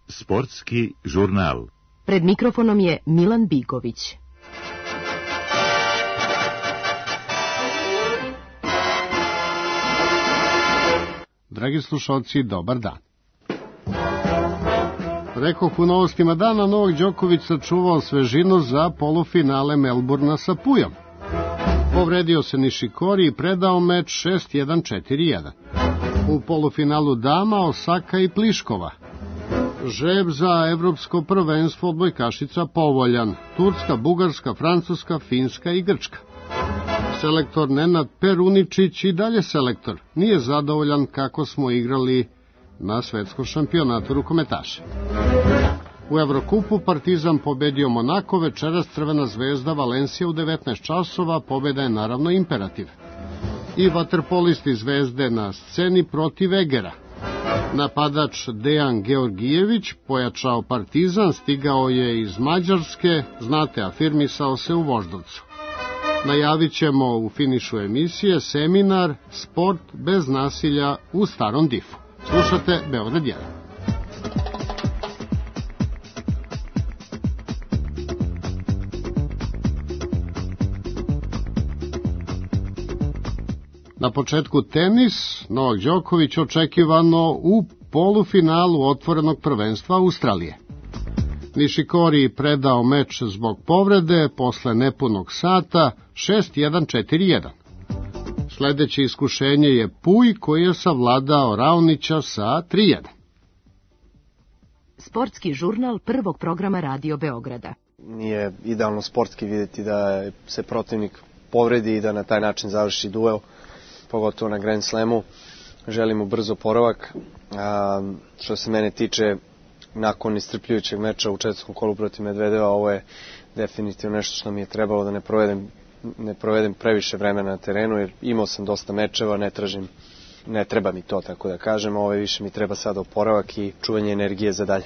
Sportski žurnal. Pred mikrofonom je Milan Bigović. Dragi slušalci, dobar dan. Rekoh u novostima dana, Novak Đoković sačuvao svežinu za polufinale Melburna sa Pujom. Povredio se Nišikori i predao meč 6-1-4-1. U polufinalu dama Osaka i Pliškova. Žreb za evropsko prvenstvo odbojkašica povoljan. Turska, Bugarska, Francuska, Finska i Grčka. Selektor Nenad Peruničić i dalje selektor. Nije zadovoljan kako smo igrali na svetskom šampionatu rukometaša. U Evrokupu Partizan pobedio Monako, večeras Crvena zvezda Valencija u 19 časova, pobeda je naravno imperativ. I vaterpolisti Zvezde na sceni protiv Egera. Napadač Dejan Georgijević pojačao Partizan, stigao je iz Mađarske, znate, afirmisao se u Voždovcu. Najavit ćemo u finišu emisije seminar Sport bez nasilja u Starom Difu. Slušate Beograd 1. Na početku tenis, Novak Đoković očekivano u polufinalu otvorenog prvenstva Australije. Nišikori predao meč zbog povrede posle nepunog sata 6-1-4-1. Sledeće iskušenje je Puj koji je savladao Raonića sa 3-1. Sportski žurnal prvog programa Radio Beograda. Nije idealno sportski vidjeti da se protivnik povredi i da na taj način završi duel, pogotovo na Grand Slamu. Želimo brzo oporavak. Što se mene tiče, nakon iscrpljujućeg meča u četvrtom kolu protiv Medvedeva, ovo je definitivno nešto što mi je trebalo da ne provedem previše vremena na terenu, jer imao sam dosta mečeva, ne treba mi to, tako da kažem, ovo više mi treba sada oporavak i čuvanje energije za dalje.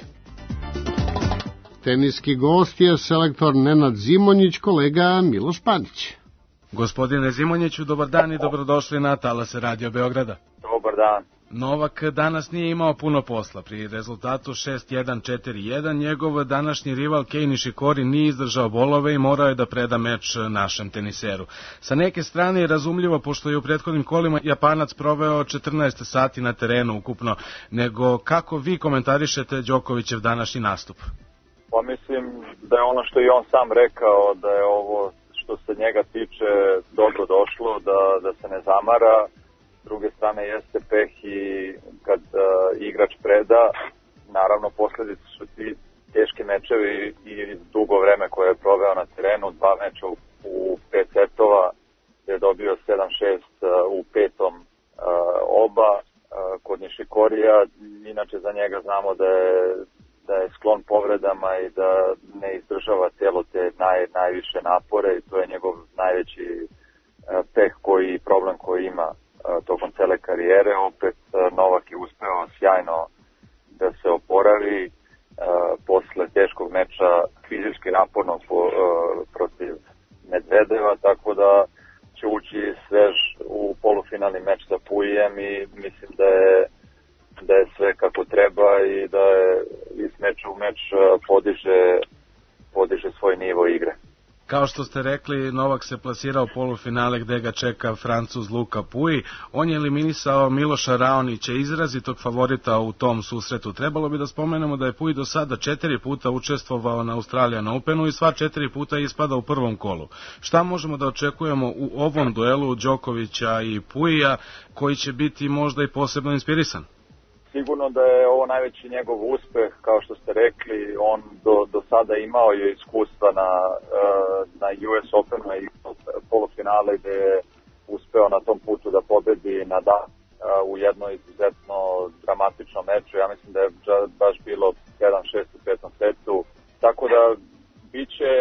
Teniski gost je selektor Nenad Zimonjić, kolega Miloš Panić. Gospodine Zimonjiću, dobar dan i dobrodošli na talase Radio Beograda. Dobar dan. Novak danas nije imao puno posla. Pri rezultatu 6-1-4-1 njegov današnji rival Kei Nišikori nije izdržao bolove i morao je da preda meč našem teniseru. Sa neke strane je razumljivo, pošto je u prethodnim kolima Japanac proveo 14 sati na terenu ukupno, nego kako vi komentarišete Đokovićev današnji nastup? Pa mislim da je ono što i on sam rekao, da je ovo što se njega tiče dobro došlo, da se ne zamara. S druge strane jeste peh i kad igrač preda, naravno posledice su ti teški mečevi i dugo vreme koje je proveo na terenu, 2 meča u 5 setova, je dobio 7-6 u petom oba. Kod Nišikorija, inače za njega znamo da je sklon povredama i da ne izdržava cijelo te najviše napore i to je njegov najveći peh i problem koji ima tokom cele karijere. Opet Novak je uspeo sjajno da se oporavi posle teškog meča, fizički napornog protiv Medvedeva, tako da će ući svež u polufinalni meč sa Pujem i mislim da je sve kako treba i da je iz meča u meč podiže svoj nivo igre. Kao što ste rekli, Novak se plasirao u polufinale gde ga čeka Francuz Luka Pouille. On je eliminisao Miloša Raonića, izrazitog favorita u tom susretu. Trebalo bi da spomenemo da je Pouille do sada 4 puta učestvovao na Australian Openu i sva 4 puta ispada u prvom kolu. Šta možemo da očekujemo u ovom duelu Đokovića i Pouillea, koji će biti možda i posebno inspirisan? Sigurno da je ovo najveći njegov uspeh, kao što ste rekli, on do sada imao je iskustva na US Openu i polufinale gde je uspeo na tom putu da pobedi Nadal u jednoj izuzetno dramatičnom meču. Ja mislim da je baš bilo 7-6 u petom setu, tako da biće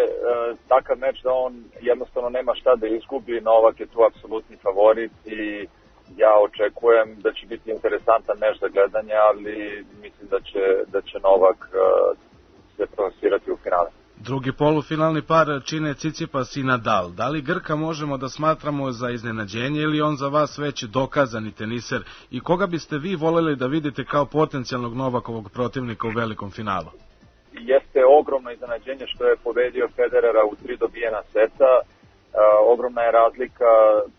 takav meč da on jednostavno nema šta da izgubi. Novak je tu apsolutni favorit i ja očekujem da će biti interesantan meč za gledanje, ali mislim da će Novak se plasirati u finale. Drugi polufinalni par čine Tsitsipas i Nadal. Da li Grka možemo da smatramo za iznenađenje ili on za vas već dokazani teniser i koga biste vi voljeli da vidite kao potencijalnog Novakovog protivnika u velikom finalu? Jeste ogromno iznenađenje što je pobedio Federera u 3 dobijena seta. Ogromna je razlika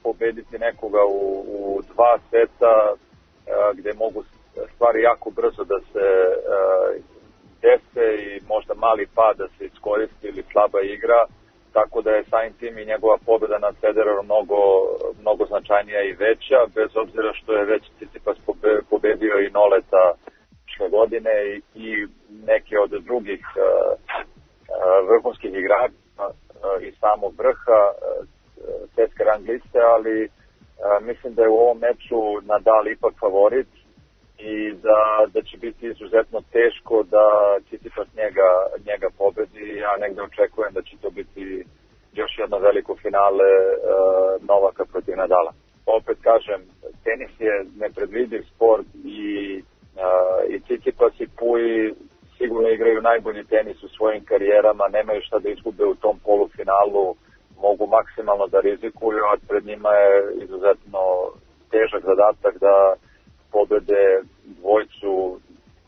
pobediti nekoga u 2 seta gde mogu stvari jako brzo da se dese i možda mali pad da se iskoristi ili slaba igra, tako da je samim tim i njegova pobeda nad Federerom mnogo značajnija i veća, bez obzira što je već Tsitsipas pobedio i Noleta prošle godine i neke od drugih vrhunskih igrača i samog vrha svetske rang liste, ali mislim da je u ovom meču Nadal ipak favorit i da će biti izuzetno teško da Tsitsipas njega pobedi. Ja negde očekujem da će to biti još jedno veliko finale Novaka protiv Nadala. Opet kažem, tenis je nepredvidiv sport i Tsitsipas i Pui sigurno igraju najbolji tenis u svojim karijerama, nemaju šta da izgube u tom polufinalu, mogu maksimalno da rizikuju, a pred njima je izuzetno težak zadatak da pobede dvojcu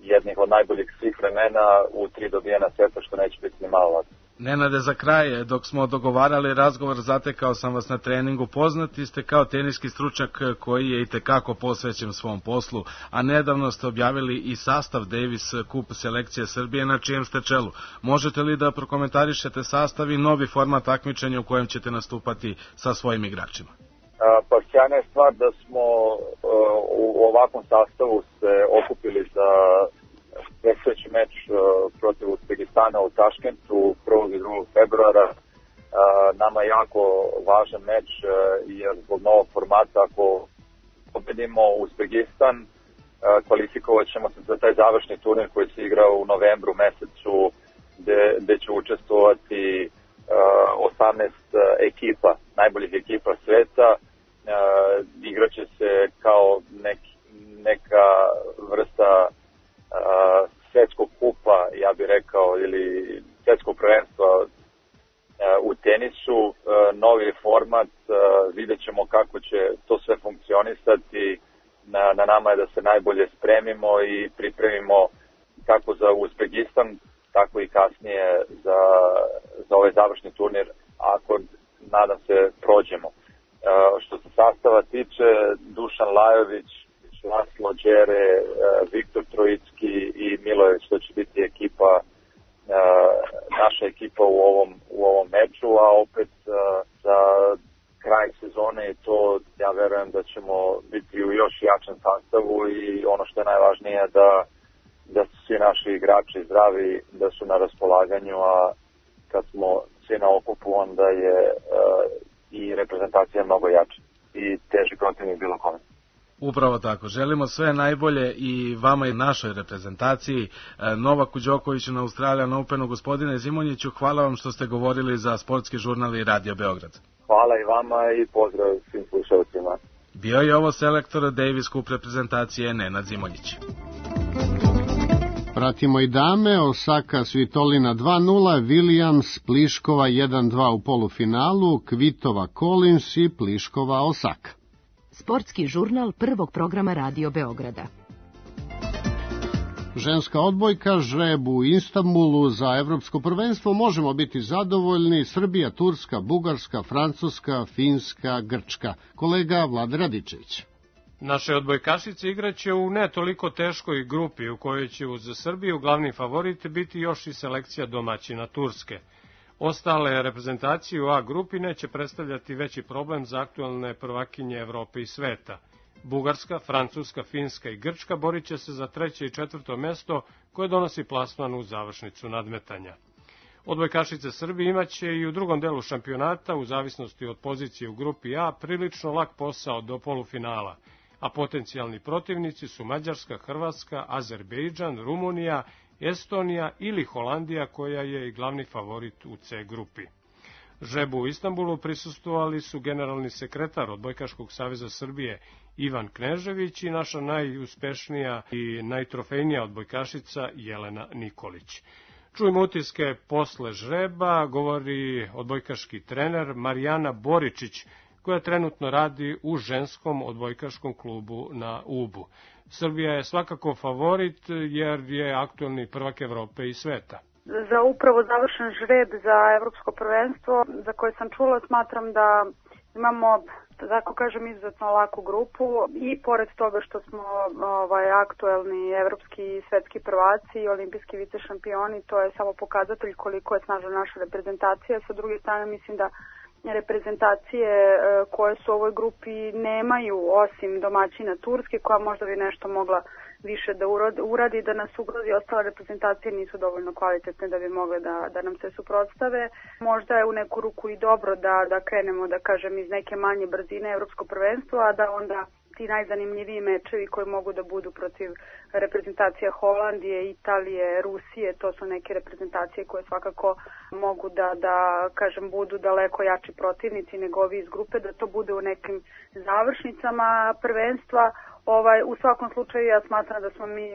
jednih od najboljih svih vremena u 3 dobijena seta, što neće biti ni malo lako. Nenade, za kraj, dok smo dogovarali razgovor, zatekao sam vas na treningu. Poznati ste kao teniski stručnjak koji je itekako posvećen svom poslu, a nedavno ste objavili i sastav Davis Cup selekcije Srbije na čijem ste čelu. Možete li da prokomentarišete sastav i novi format takmičenja u kojem ćete nastupati sa svojim igračima? Pa sjajna je stvar da smo u ovakvom sastavu se okupili za predstojeći meč protiv Uzbekistana u Taškentu 1. i 2. februara. Nama je jako važan meč jer zbog novog formata, ako pobedimo Uzbekistan, kvalifikovat ćemo se za taj završni turnir koji se igra u novembru mesecu, gde će učestvovati 18 ekipa, najboljih ekipa sveta. Igraće se kao neka vrsta svetskog kupa, ja bih rekao, ili svetskog prvenstva u tenisu. Novi format, vidjet ćemo kako će to sve funkcionisati. Na nama je da se najbolje spremimo i pripremimo kako za Uzbekistan, tako i kasnije za ovaj završni turnir, ako, nadam se, prođemo. Što se sastava tiče, Dušan Lajović, Laslo Đere, Viktor Trojicki i Milojević, to će biti ekipa, naša ekipa u ovom meču, a opet za kraj sezone i to ja verujem da ćemo biti u još jačem sastavu i ono što je najvažnije da su svi naši igrači zdravi, da su na raspolaganju, a kad smo svi na okupu onda je i reprezentacija mnogo jača i teži protivnik bilo kome. Upravo tako. Želimo sve najbolje i vama i našoj reprezentaciji. Novaku Đokoviću na Australian Openu. Gospodine Zimonjiću, hvala vam što ste govorili za Sportski žurnal i Radio Beograd. Hvala i vama i pozdrav svim slušalcima. Bio je ovo selektor Davis Cup reprezentacije Nenad Zimonjić. Pratimo i dame, Osaka Svitolina 2-0, Williams Pliškova 1-2 u polufinalu, Kvitova Collins i Pliškova Osaka. Sportski žurnal prvog programa Radio Beograda. Ženska odbojka žreb u Istanbulu za evropsko prvenstvo. Možemo biti zadovoljni. Srbija, Turska, Bugarska, Francuska, Finska, Grčka. Kolega Vlada Radičević. Naše odbojkašice igraće u ne toliko teškoj grupi u kojoj će uz Srbiju glavni favorit biti još i selekcija domaćina Turske. Ostale reprezentacije u A grupi neće predstavljati veći problem za aktualne prvakinje Evrope i sveta. Bugarska, Francuska, Finska i Grčka borit će se za 3. i 4. mesto koje donosi plasman u završnicu nadmetanja. Odbojkašice Srbije imaće i u drugom delu šampionata, u zavisnosti od pozicije u grupi A, prilično lak posao do polufinala, a potencijalni protivnici su Mađarska, Hrvatska, Azerbejdžan, Rumunija, Estonija ili Holandija, koja je i glavni favorit u C grupi. Žrebu u Istanbulu prisustvovali su generalni sekretar Odbojkaškog saveza Srbije Ivan Knežević i naša najuspešnija i najtrofejnija odbojkašica Jelena Nikolić. Čujemo utiske posle žreba, govori odbojkaški trener Marijana Boričić, koja trenutno radi u ženskom odbojkaškom klubu na Ubu. Srbija je svakako favorit jer je aktuelni prvak Evrope i sveta. Za upravo završen žreb za evropsko prvenstvo, za koje sam čula, smatram da imamo, tako kažem, izuzetno laku grupu i pored toga što smo aktuelni evropski i svetski prvaci i olimpijski vice šampioni, to je samo pokazatelj koliko je snažna naša reprezentacija. Sa druge strane, mislim da reprezentacije koje su u ovoj grupi nemaju, osim domaćina Turske, koja možda bi nešto mogla više da uradi, da nas ugrozi. Ostale reprezentacije nisu dovoljno kvalitetne da bi mogle da nam se suprotstave. Možda je u neku ruku i dobro da krenemo, da kažem, iz neke manje brzine evropsko prvenstvo, a da onda ti najzanimljiviji mečevi koji mogu da budu protiv reprezentacija Holandije, Italije, Rusije, to su neke reprezentacije koje svakako mogu da kažem, budu daleko jači protivnici nego ovi iz grupe, da to bude u nekim završnicama prvenstva. U svakom slučaju ja smatram da smo mi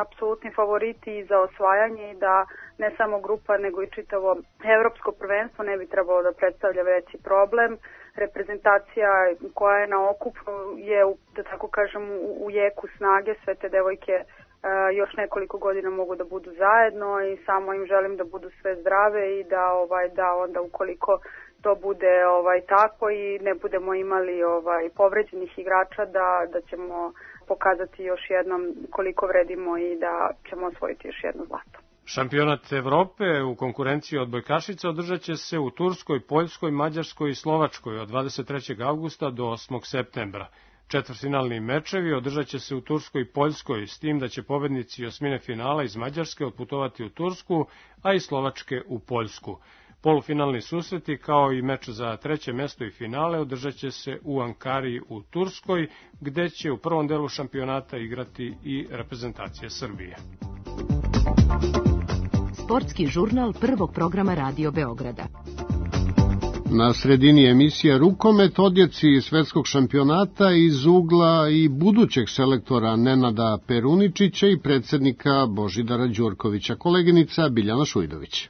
apsolutni favoriti za osvajanje i da ne samo grupa nego i čitavo evropsko prvenstvo ne bi trebalo da predstavlja veći problem. Reprezentacija koja je na okupu je, da tako kažem, u jeku snage. Sve te devojke još nekoliko godina mogu da budu zajedno i samo im želim da budu sve zdrave i da onda ukoliko to bude tako i ne budemo imali povređenih igrača, da ćemo pokazati još jednom koliko vredimo i da ćemo osvojiti još jedno zlato. Šampionat Evrope u konkurenciji odbojkašica održat će se u Turskoj, Poljskoj, Mađarskoj i Slovačkoj od 23. avgusta do 8. septembra. Četvrtfinalni mečevi održat će se u Turskoj i Poljskoj, s tim da će pobednici osmine finala iz Mađarske otputovati u Tursku, a iz Slovačke u Poljsku. Polufinalni susreti, kao i meč za treće mesto i finale, održat će se u Ankari u Turskoj, gde će u prvom delu šampionata igrati i reprezentacija Srbije. Sportski žurnal prvog programa Radio Beograda. Na sredini emisija rukomet, odjeci svetskog šampionata iz ugla i budućeg selektora Nenada Peruničića i predsednika Božidara Đurkovića, koleginica Biljana Šujdović.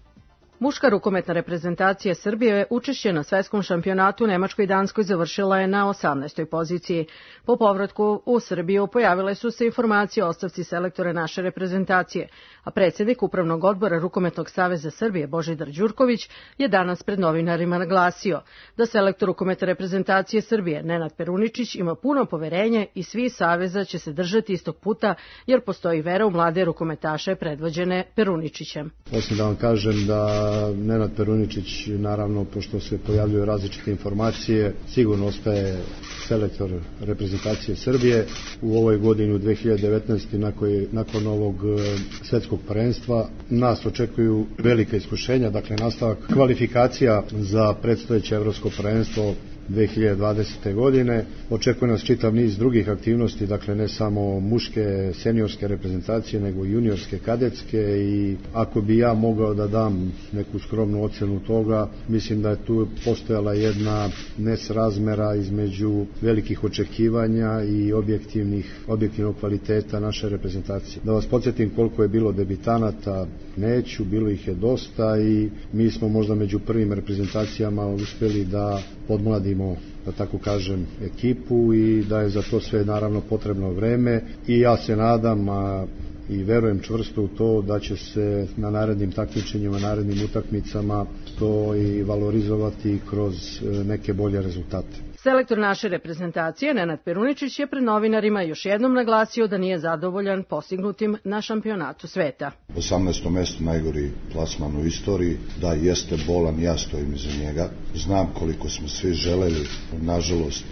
Muška rukometna reprezentacija Srbije učešće na svetskom šampionatu u Nemačkoj i Danskoj završila je na 18. poziciji. Po povratku u Srbiju pojavile su se informacije o ostavci selektora naše reprezentacije, a predsjednik Upravnog odbora Rukometnog saveza Srbije Božidar Đurković je danas pred novinarima naglasio da selektor rukometne reprezentacije Srbije Nenad Peruničić ima puno poverenje i svi saveza će se držati istog puta jer postoji vera u mlade rukometaše predvođene Peruničićem. Osim da vam kažem da Nenad Peruničić, naravno, pošto se pojavljuju različite informacije, sigurno ostaje selektor reprezentacije Srbije. U ovoj godini, u 2019. nakon ovog svetskog prvenstva, nas očekuju velika iskušenja, dakle nastavak kvalifikacija za predstojeće evropsko prvenstvo 2020. godine. Očekuje nas čitav niz drugih aktivnosti, dakle ne samo muške seniorske reprezentacije, nego i juniorske, kadetske, i ako bi ja mogao da dam neku skromnu ocenu toga, mislim da je tu postojala jedna nesrazmera između velikih očekivanja i objektivnog kvaliteta naše reprezentacije. Da vas podsjetim koliko je bilo debitanata, neću, bilo ih je dosta i mi smo možda među prvim reprezentacijama uspjeli da podmladimo, da tako kažem, ekipu i da je za to sve naravno potrebno vreme i ja se nadam i verujem čvrsto u to da će se na narednim takmičenjima, narednim utakmicama to i valorizovati kroz neke bolje rezultate. Selektor naše reprezentacije Nenad Peruničić je pred novinarima još jednom naglasio da nije zadovoljan postignutim na šampionatu sveta. 18. mesto, najgori plasman u istoriji, da jeste bolan, ja stojim iza njega. Znam koliko smo svi želeli, nažalost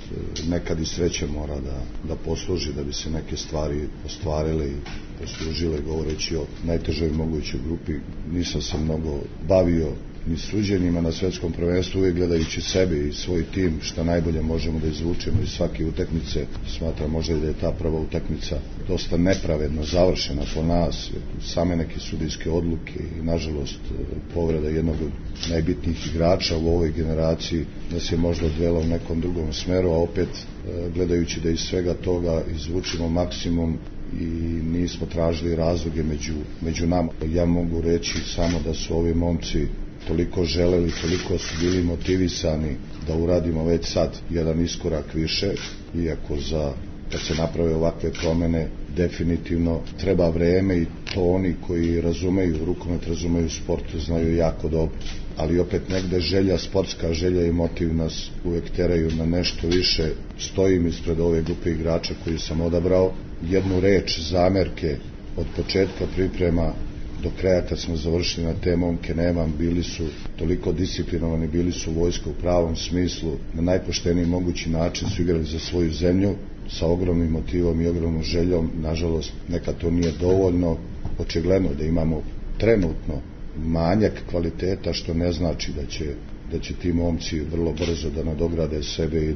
nekad i sreće mora da posluži da bi se neke stvari ostvarile i poslužile, govoreći o najtežoj mogućoj grupi. Nisam se mnogo bavio ni suđenjima na svetskom prvenstvu, uvijek gledajući sebe i svoj tim, šta najbolje možemo da izvučemo iz svake utakmice. Smatram možda i da je ta prva utakmica dosta nepravedno završena po nas, same neke sudijske odluke i nažalost povreda jednog od najbitnijih igrača u ovoj generaciji nas je možda odvela u nekom drugom smeru, a opet gledajući da iz svega toga izvučimo maksimum, i nismo tražili razloge među nama. Ja mogu reći samo da su ovi momci toliko želeli, toliko su bili motivisani da uradimo već sad jedan iskorak više, iako kad se naprave ovakve promene definitivno treba vreme i to oni koji razumeju rukomet, razumeju sport, znaju jako dobro. Ali opet negde želja, sportska želja i motiv nas uvek teraju na nešto više. Stojim ispred ove grupe igrača koju sam odabrao. Jednu reč zamerke od početka priprema do kraja kad smo završili na te momke nemam, bili su toliko disciplinovani, bili su vojska u pravom smislu, na najpošteniji mogući način su igrali za svoju zemlju, sa ogromnim motivom i ogromnom željom. Nažalost, nekad to nije dovoljno, očigledno da imamo trenutno manjak kvaliteta, što ne znači da će ti momci vrlo brzo da nadograde sebe i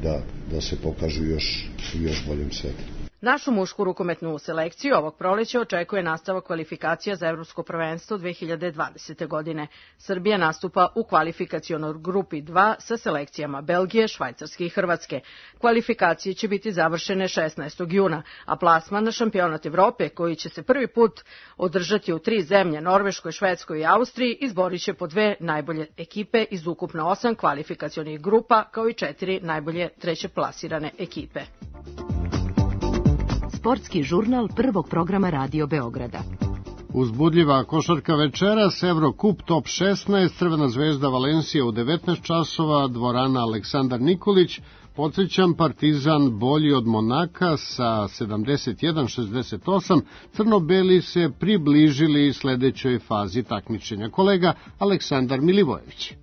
da se pokažu još boljim svetom. Našu mušku rukometnu selekciju ovog proleća očekuje nastavak kvalifikacija za Evropsko prvenstvo 2020. godine. Srbija nastupa u kvalifikacionoj grupi 2 sa selekcijama Belgije, Švajcarske i Hrvatske. Kvalifikacije će biti završene 16. juna, a plasman na šampionat Evrope, koji će se prvi put održati u 3 zemlje, Norveškoj, Švedskoj i Austriji, izborit će po 2 najbolje ekipe iz ukupno 8 kvalifikacionih grupa, kao i 4 najbolje trećeplasirane ekipe. Sportski žurnal prvog programa Radio Beograda. Uzbudljiva košarka večeras, Evrokup Top 16, Crvena zvezda Valencija u 19 časova, dvorana Aleksandar Nikolić. Podsjećam, Partizan bolji od Monaka sa 71-68, crno-beli se približili sledećoj fazi takmičenja. Kolega Aleksandar Milivojević.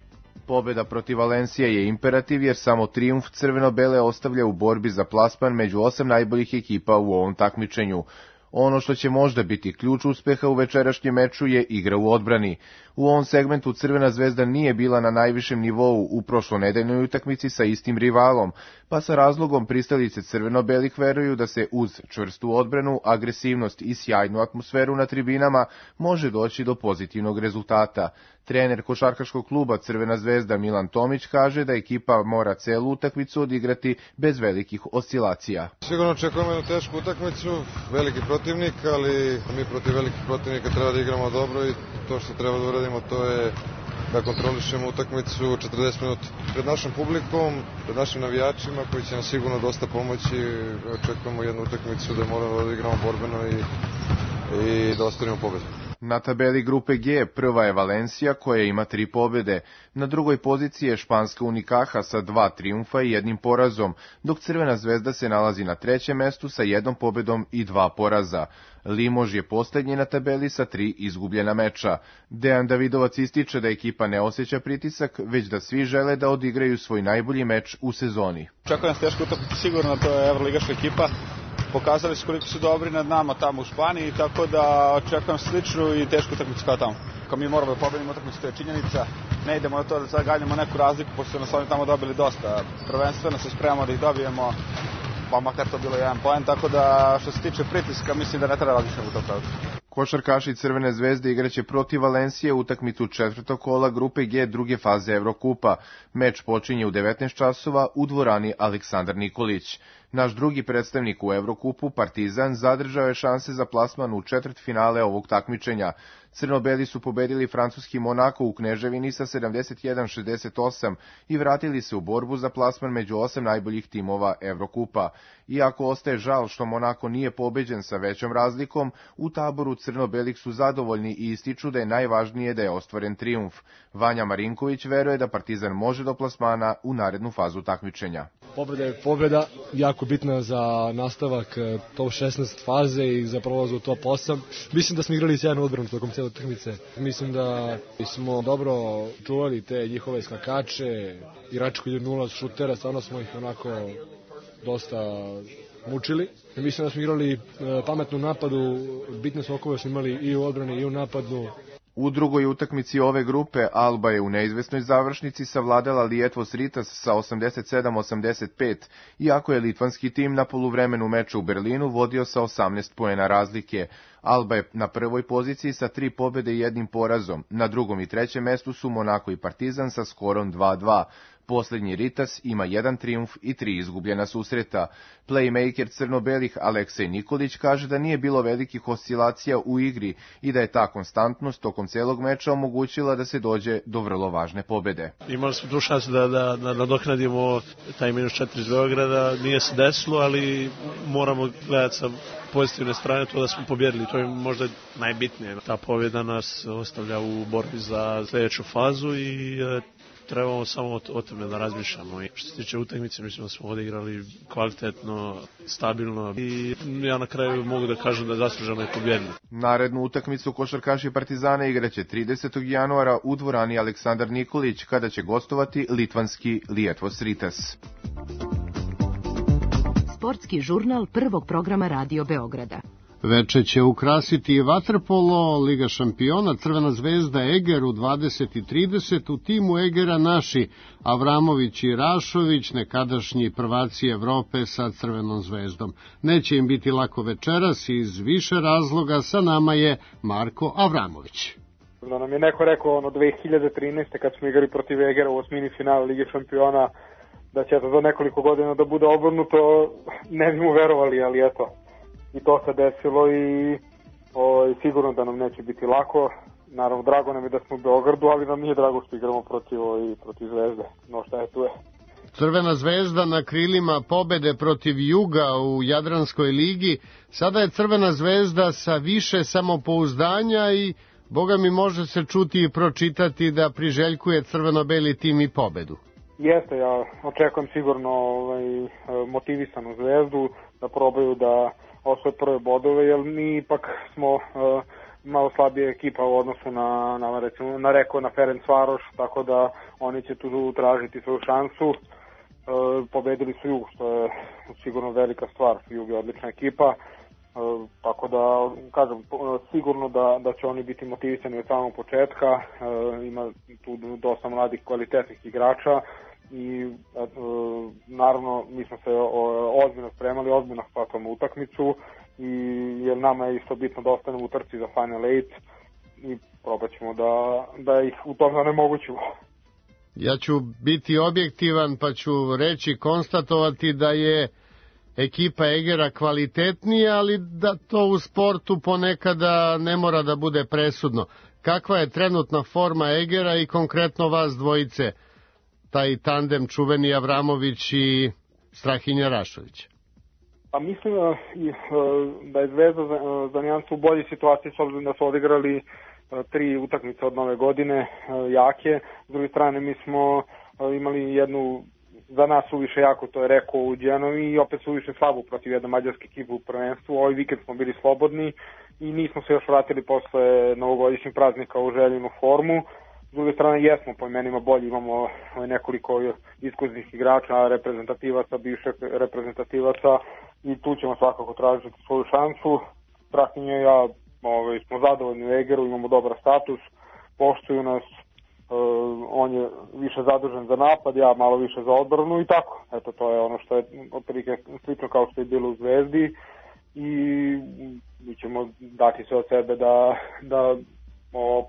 Pobeda protiv Valencije je imperativ jer samo trijumf crveno-bele ostavlja u borbi za plasman među 8 najboljih ekipa u ovom takmičenju. Ono što će možda biti ključ uspeha u večerašnjem meču je igra u odbrani. U ovom segmentu Crvena zvezda nije bila na najvišem nivou u prošlonedeljnoj utakmici sa istim rivalom, pa sa razlogom pristalice crveno-belih veruju da se uz čvrstu odbranu, agresivnost i sjajnu atmosferu na tribinama može doći do pozitivnog rezultata. Trener košarkaškog kluba Crvena zvezda Milan Tomić kaže da ekipa mora celu utakmicu odigrati bez velikih oscilacija. Sigurno očekujemo jednu tešku utakmicu, veliki protivnik, ali mi protiv velikih protivnika treba da igramo dobro i to što treba da uradimo to je da kontrolišemo utakmicu 40 minuta. Pred našom publikom, pred našim navijačima koji će nam sigurno dosta pomoći, očekujemo jednu utakmicu da moramo da igramo borbeno i da ostvarimo pobedu. Na tabeli grupe G prva je Valencija koja ima 3 pobede. Na drugoj poziciji je španska Unicaja sa 2 trijumfa i 1 porazom, dok Crvena zvezda se nalazi na 3. mestu sa 1 pobedom i 2 poraza. Limož je poslednji na tabeli sa 3 izgubljena meča. Dejan Davidovac ističe da ekipa ne osjeća pritisak, već da svi žele da odigraju svoj najbolji meč u sezoni. Očekujem tešku utakmicu, sigurno to je evroligaška ekipa. Pokazali su koliko su dobri nad nama tamo u Španiji, tako da očekujem sličnu i tešku utakmicu kao tamo. Ako mi moramo da pobedimo utakmicu, to je činjenica. Ne idemo na to da sad galjamo neku razliku, pošto su nas oni tamo dobili dosta. Prvenstveno se spremamo da ih dobijemo, pa makar to bilo 1 poen, tako da što se tiče pritiska, mislim da ne treba različiti u tom pravdu. Košarkaši Crvene zvezde igraće protiv Valencije utakmicu 4. kola grupe G druge faze Evrokupa. Meč počinje u 19 časova u dvorani Aleksandar Nikolić. Naš drugi predstavnik u Evrokupu, Partizan, zadržao je šanse za plasman u četvrtfinale ovog takmičenja. Crno-beli su pobedili francuski Monako u Kneževini sa 71-68 i vratili se u borbu za plasman među 8 najboljih timova Evrokupa. Iako ostaje žal što Monako nije pobeđen sa većom razlikom, u taboru crno-belih su zadovoljni i ističu da je najvažnije da je ostvaren trijumf. Vanja Marinković veruje da Partizan može do plasmana u narednu fazu takmičenja. Pobjeda je pobjeda, jako bitna za nastavak top 16 faze i za prolaz u top 8. Mislim da smo igrali sjajnu odbranu tokom cijele utakmice. Mislim da smo dobro čuvali te njihove skakače, igrači koji idu 0 šutera, stvarno smo ih onako dosta mučili. Mislim da smo igrali pametnu napadu, bitne skokove smo imali i u odbrani i u napadu. U drugoj utakmici ove grupe Alba je u neizvesnoj završnici savladala Lietuvos Rytas sa 87-85, iako je litvanski tim na poluvremenu meča u Berlinu vodio sa 18 poena razlike. Alba je na prvoj poziciji sa 3 pobede i 1 porazom. Na drugom i trećem mestu su Monako i Partizan sa skorom 2-2. Poslednji Ritas ima 1 trijumf i 3 izgubljena susreta. Playmaker crno-belih Aleksej Nikolić kaže da nije bilo velikih oscilacija u igri i da je ta konstantnost tokom celog meča omogućila da se dođe do vrlo važne pobede. Imali smo tu šansu da nadoknadimo taj -4 iz Beograda, nije se desilo, ali moramo gledati sa pozitivne strane to da smo pobjedili, to je možda najbitnije. Ta pobjeda nas ostavlja u borbi za sljedeću fazu i trebamo samo o tome da razmišljamo. I što se tiče utakmice, mislim da smo odigrali kvalitetno, stabilno i ja na kraju mogu da kažem da je zasluženo i pobjedili. Narednu utakmicu košarkaši Partizana igraće 30. januara u dvorani Aleksandar Nikolić, kada će gostovati litvanski Lietuvos Rytas. Sportski žurnal prvog programa Radio Beograda. Veče će ukrasiti i vaterpolo, Liga šampiona, Crvena zvezda Eger u 20:30, u timu Egera naši Avramović i Rašović, nekadašnji prvaci Evrope sa Crvenom zvezdom. Neće im biti lako večeras iz više razloga, sa nama je Marko Avramović. Da nam je neko rekao 2013. kad smo igrali protiv Egera u osmini finala Lige šampiona, da će to za nekoliko godina da bude obrnuto, ne bi mu verovali, ali eto. I to se desilo i sigurno da nam neće biti lako. Naravno, drago nam je da smo u Beogradu, ali nam nije drago što igramo protiv Zvezde. No šta je tu je. Crvena zvezda na krilima pobede protiv Juga u Jadranskoj ligi. Sada je Crvena zvezda sa više samopouzdanja i, boga mi, može se čuti i pročitati da priželjkuje crveno-beli tim i pobedu. Jeste, ja očekujem sigurno motivisanu Zvezdu da probaju da osvoje prve bodove, jer mi ipak smo malo slabija ekipa u odnosu na Ferencvaroš, tako da oni će tu tražiti svoju šansu. Pobedili su Jug, što je sigurno velika stvar. Jug je odlična ekipa, tako da kažem sigurno da će oni biti motivisani od samog početka. Ima tu dosta mladih kvalitetnih igrača i naravno mi smo se ozbiljno spremali, ozbiljno shvatamo utakmicu i jer nama je isto bitno da ostanemo u trci za Final 8 i probat ćemo da ih u tome onemogućimo. Ja ću biti objektivan pa ću konstatovati da je ekipa Egera kvalitetnija, ali da to u sportu ponekada ne mora da bude presudno. Kakva je trenutna forma Egera i konkretno vas dvojice, taj tandem čuveni Avramović i Strahinja Rašović? Pa mislim da je Zvezda za nijansu u boljoj situaciji, s obzirom da su odigrali 3 utakmice od nove godine jake. S druge strane mi smo imali jednu za nas suviše jako, to je rekao u Genovi, i opet suviše slabu protiv jedne mađarske ekipe u prvenstvu. Ovaj vikend smo bili slobodni i nismo se još vratili posle novogodišnjih praznika u željenu formu. S druge strane jesmo po imenima bolji, imamo nekoliko iskusnih igrača, reprezentativaca, bivših reprezentativaca i tu ćemo svakako tražiti svoju šansu. Strahinje i ja smo zadovoljni u Egeru, imamo dobar status, poštuju nas, on je više zadužen za napad, ja malo više za odbranu i tako. Eto, to je ono što je otprilike slično kao što je bilo u Zvezdi i mi ćemo dati sve od sebe da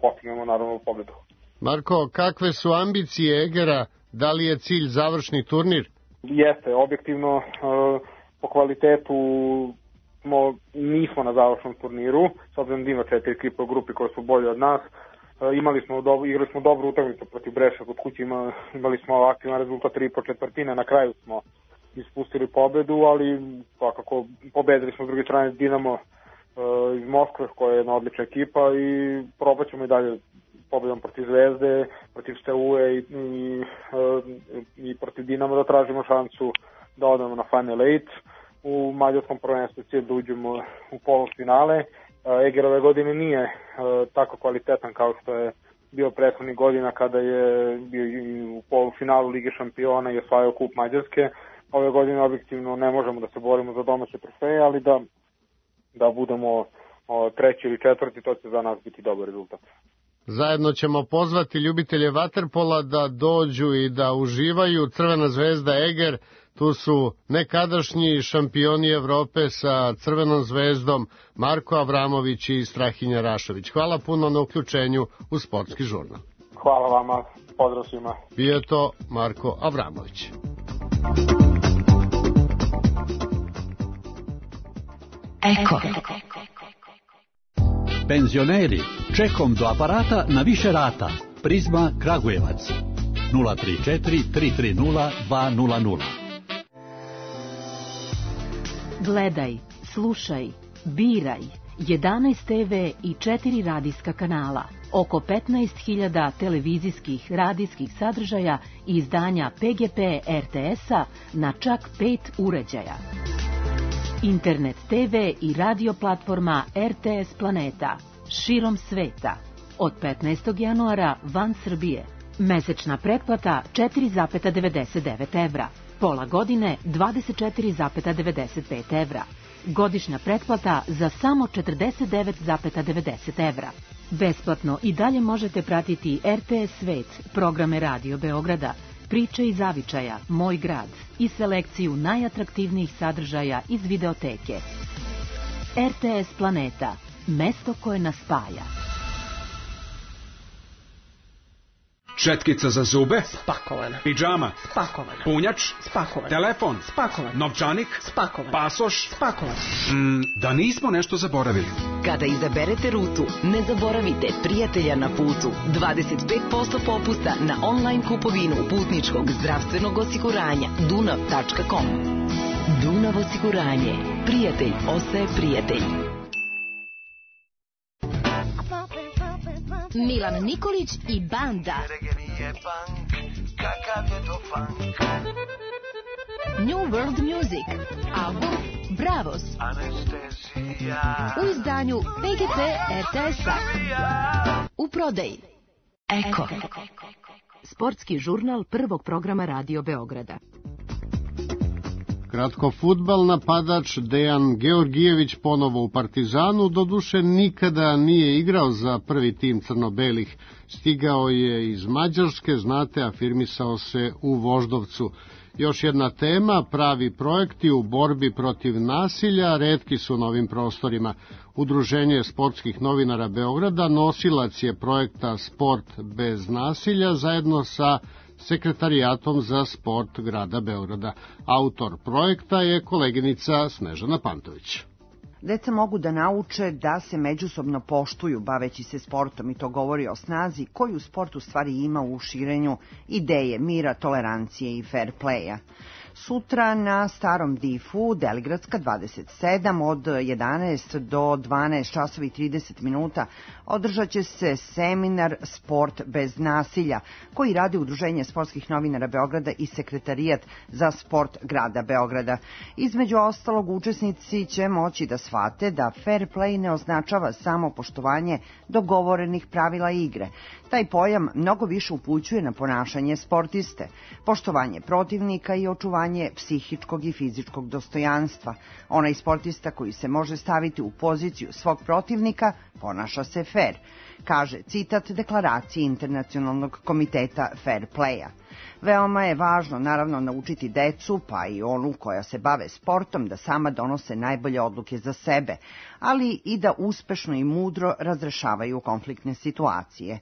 postignemo naravno pobedu. Marko, kakve su ambicije Egera? Da li je cilj završni turnir? Jeste, objektivno po kvalitetu nismo na završnom turniru, s obzirom da ima 4 ekipe u grupi koje su bolje od nas. Igrali smo dobru utakmicu protiv Breša kod kuće, imali smo aktivan rezultat 3,4, na kraju smo ispustili pobedu, ali svakako pobedili smo s druge strane Dinamo iz Moskve koja je jedna odlična ekipa i probat ćemo i dalje pobedom protiv Zvezde, protiv Steaue i protiv Dinama da tražimo šansu da odemo na Final 8. U mađarskom prvenstvu cilj da uđemo u polufinale. Eger ove godine nije tako kvalitetan kao što je bio prethodnih godina kada je bio u polufinalu Lige šampiona i osvajao kup Mađarske. Ove godine objektivno ne možemo da se borimo za domaće trofeje, ali da budemo 3. ili 4. to će za nas biti dobar rezultat. Zajedno ćemo pozvati ljubitelje vaterpola da dođu i da uživaju. Crvena zvezda Eger, tu su nekadašnji šampioni Evrope sa Crvenom zvezdom Marko Avramović i Strahinja Rašović. Hvala puno na uključenju u Sportski žurnal. Hvala vama. pozdrav svima. Bio je to Marko Avramović. Eko. Penzioneri, čekom do aparata na više rata. Prizma Kragujevac 034 330 200. Gledaj, slušaj, biraj. 11 TV i 4 radijska kanala. Oko 15.000 televizijskih, radijskih sadržaja i izdanja PGP RTS-a na čak 5 uređaja. Internet TV i radio platforma RTS Planeta. Širom sveta. Od 15. januara van Srbije. Mesečna pretplata 4,99 evra. Pola godine 24,95 evra. Godišnja pretplata za samo 49,90 evra. Besplatno i dalje možete pratiti RTS Svet, programe Radio Beograda, priče iz zavičaja, Moj grad i selekciju najatraktivnijih sadržaja iz videoteke. RTS Planeta, mesto koje nas spaja. Četkica za zube? Spakovana. Pidžama? Spakovana. Punjač? Spakovan. Telefon? Spakovan. Novčanik? Spakovan. Pasoš? Spakovan. Da nismo nešto zaboravili. Kada izaberete rutu, ne zaboravite prijatelja na putu. 25% popusta na online kupovinu putničkog zdravstvenog osiguranja dunav.com. Dunav osiguranje. Prijatelj ostaje prijatelj. Milan Nikolić i banda. New World Music. Album Bravos. U izdanju PGP RTS-a. U prodaji. Eko. Sportski žurnal prvog programa Radio Beograda. Kratko fudbal, napadač Dejan Georgijević ponovo u Partizanu, doduše nikada nije igrao za prvi tim crno-belih. Stigao je iz Mađarske, znate, afirmisao se u Voždovcu. Još jedna tema, pravi projekti u borbi protiv nasilja, retki su na ovim prostorima. Udruženje sportskih novinara Beograda nosilac je projekta Sport bez nasilja zajedno sa Sekretarijatom za sport grada Beograda. Autor projekta je koleginica Snežana Pantović. Deca mogu da nauče da se međusobno poštuju baveći se sportom i to govori o snazi koju sport u stvari ima u širenju ideje mira, tolerancije i fair playa. Sutra na Starom Difu, Deligradska 27, od 11 do 12 časova i 30 minuta, održat će se seminar Sport bez nasilja, koji radi Udruženje sportskih novinara Beograda i Sekretarijat za sport grada Beograda. Između ostalog, učesnici će moći da shvate da fair play ne označava samo poštovanje dogovorenih pravila igre. Taj pojam mnogo više upućuje na ponašanje sportiste, poštovanje protivnika i očuvanje psihičkog i fizičkog dostojanstva. Onaj sportista koji se može staviti u poziciju svog protivnika ponaša se fair, kaže citat deklaracije Internacionalnog komiteta fair playa. Veoma je važno, naravno, naučiti decu, pa i onu koja se bave sportom, da sama donose najbolje odluke za sebe, ali i da uspešno i mudro razrešavaju konfliktne situacije.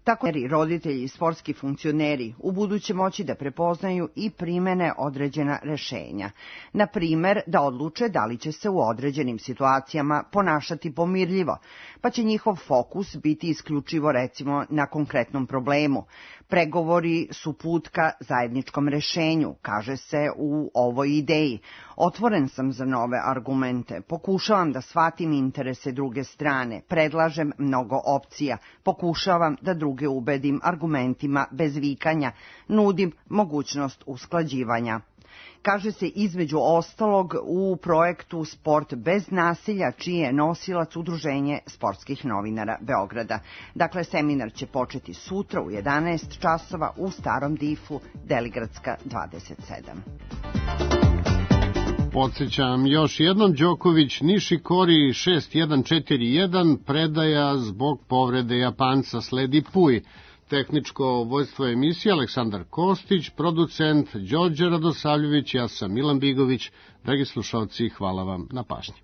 Tako roditelji i sportski funkcioneri u buduće moći da prepoznaju i primene određena rešenja. Na primer, da odluče da li će se u određenim situacijama ponašati pomirljivo, pa će njihov fokus biti isključivo recimo na konkretnom problemu. Pregovori su put ka zajedničkom rešenju, kaže se u ovoj ideji. Otvoren sam za nove argumente, pokušavam da shvatim interese druge strane, predlažem mnogo opcija, pokušavam da druge ubedim argumentima bez vikanja, nudim mogućnost usklađivanja. Kaže se između ostalog u projektu Sport bez nasilja, čiji je nosilac Udruženje sportskih novinara Beograda. Dakle, seminar će početi sutra u 11 časova u Starom Difu, Deligradska 27. Podsjećam još jednom, Đoković Nishikori 6-1-4-1, predaja zbog povrede Japanca, sledi Puj. Tehničko vođstvo emisije Aleksandar Kostić, producent Đorđe Radosavljević, ja sam Milan Bigović. Dragi slušalci, hvala vam na pažnji.